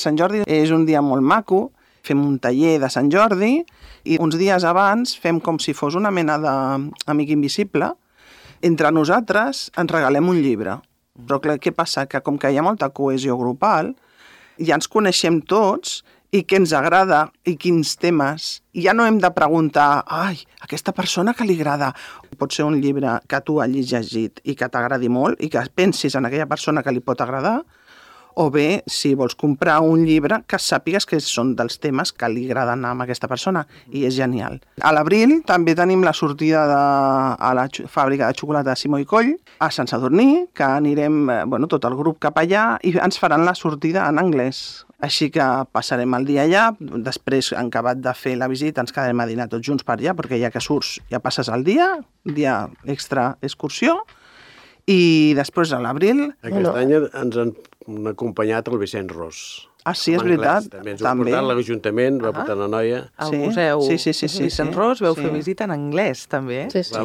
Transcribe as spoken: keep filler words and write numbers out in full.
Sant Jordi és un dia molt maco, fem un taller de Sant Jordi i uns dies abans fem com si fos una mena d'amic invisible. Entre nosaltres ens regalem un llibre. Però clar, què passa? Que com que hi ha molta cohesió grupal, ja ens coneixem tots i què ens agrada i quins temes. I ja no hem de preguntar, ai, aquesta persona que li agrada. Pot ser un llibre que tu hagis llegit i que t'agradi molt i que pensis en aquella persona que li pot agradar, o bé, si vols comprar un llibre, que sàpigues que són dels temes que li agraden a aquesta persona, i és genial. A l'abril també tenim la sortida de, a la fàbrica de xocolata de Simó i Coll, a Sant Sadurní, que anirem, bueno, tot el grup cap allà, i ens faran la sortida en anglès. Així que passarem el dia allà, després, en acabat de fer la visita, ens quedarem a dinar tots junts per allà, perquè ja que surts, ja passes el dia, dia extra excursió, i després a l'abril... Aquest no. any ens han acompanyat el Vicent Ros. Ah, sí, és veritat. També ens va portar l'Ajuntament, va portar la noia. Al museu sí, sí, sí, sí, Vicent sí. Ros veu sí. fer visita en anglès, també. Sí, sí.